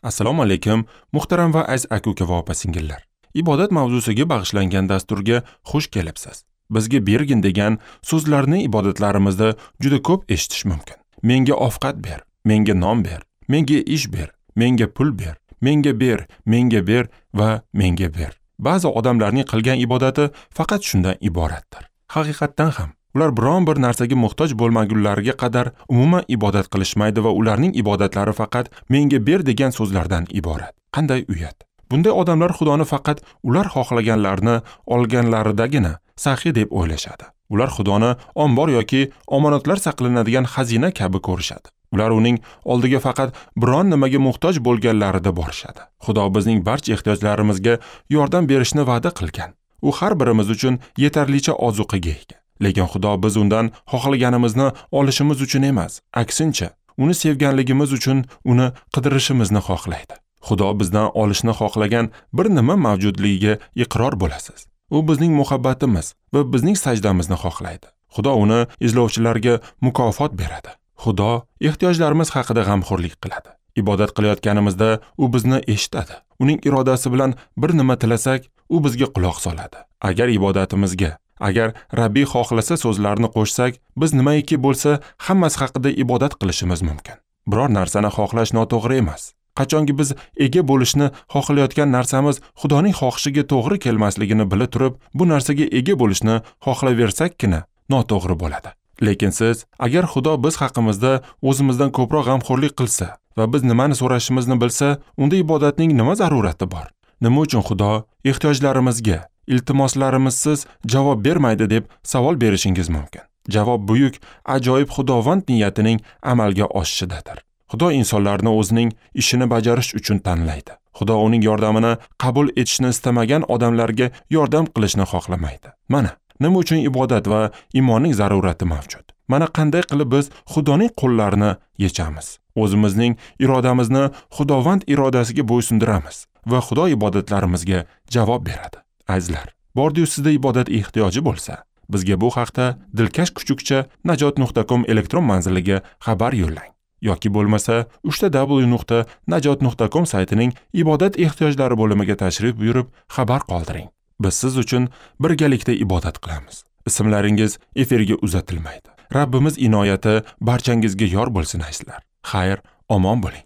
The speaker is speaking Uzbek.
Assalomu alaykum, muhtaram va aziz aka-uka va opa-singillar. Ibodat mavzusiga bag'ishlangan dasturga xush kelibsiz. Bizga bergin degan so'zlarni ibodatlarimizda juda ko'p eshitish mumkin. Menga ovqat ber, menga non ber, menga ish ber, menga pul ber, menga ber, menga ber va menga ber. Ba'zi odamlarning qilgan ibodati faqat shundan iboratdir. Haqiqatdan ham ular biron bir narsaga muhtoj bo'lmagunlariga qadar umuman ibodat qilishmaydi va ularning ibodatlari faqat menga ber degan so'zlardan iborat. Qanday uyat! Bunday odamlar Xudoni faqat ular xohlaganlarini olganlaridagina saxiy deb o'ylashadi. Ular Xudoni ombor yoki omonatlar saqlanadigan xazina kabi ko'rishadi. Ular uning oldiga faqat biron nimaga muhtoj bo'lganlarida borishadi. Xudo bizning barcha ehtiyojlarimizga yordam berishni va'da qilgan. U har birimiz uchun yetarlicha ozuqaga ega. Lekin Xudo biz undan xohlaganimizni olishimiz uchun emas, aksincha, uni sevganligimiz uchun uni qidirishimizni xohlaydi. Xudo bizdan olishni xohlagan bir nima mavjudligiga iqror bo'lasiz. U bizning muhabbatimiz va bizning sajdamizni xohlaydi. Xudo uni izlovchilarga mukofot beradi. Xudo ehtiyojlarimiz haqida g'amxo'rlik qiladi. Ibodat qilayotganimizda u bizni eshitadi. Uning irodasi bilan bir nima tilasak, u bizga quloq soladi. Agar ibodatimizga, agar Rabbiy xohlasa so'zlarini qo'shsak, biz nimaiki bo'lsa hammasi haqida ibodat qilishimiz mumkin. Biror narsani xohlash noto'g'ri emas. Qachonki biz ega bo'lishni xohlayotgan narsamiz Xudoning xohishiga to'g'ri kelmasligini bila turib, bu narsaga ega bo'lishni xohlaversakkina noto'g'ri bo'ladi. Lekin siz, agar Xudo biz haqimizda o'zimizdan ko'proq g'amxo'rlik qilsa va biz nimani so'rashimizni bilsa, unda ibodatning nima zarurati bor? Nima uchun Xudo ehtiyojlarimizga iltimoslarimizsiz javob bermaydi deb savol berishingiz mumkin. Javob buyuk, ajoyib Xudovand niyatining amalga oshishidadir. Xudo insonlarni o'zining ishini bajarish uchun tanlaydi. Xudo uning yordamini qabul etishni istamagan odamlarga yordam qilishni xohlamaydi. Mana nima uchun ibodat va iymonning zarurati mavjud. Mana qanday qilib biz Xudoning qo'llarini yechamiz. O'zimizning irodamizni Xudovand irodasiga bo'ysundiramiz va Xudo ibodatlarimizga javob beradi. Azizlar, bordi-yu sizda ibodat ehtiyoji bo'lsa, bizga bu haqda dilkash kuchukcha najot.com elektron manziliga xabar yo'llang. Yoki bo'lmasa www.najot.com saytining ibodat ehtiyojlari bo'limiga tashrif buyurib xabar qoldiring. Biz siz uchun birgalikda ibodat qilamiz. Ismlaringiz efirga uzatilmaydi. Rabbimiz inoyati barchangizga yor bo'lsin azizlar. Xayr, omon bo'ling.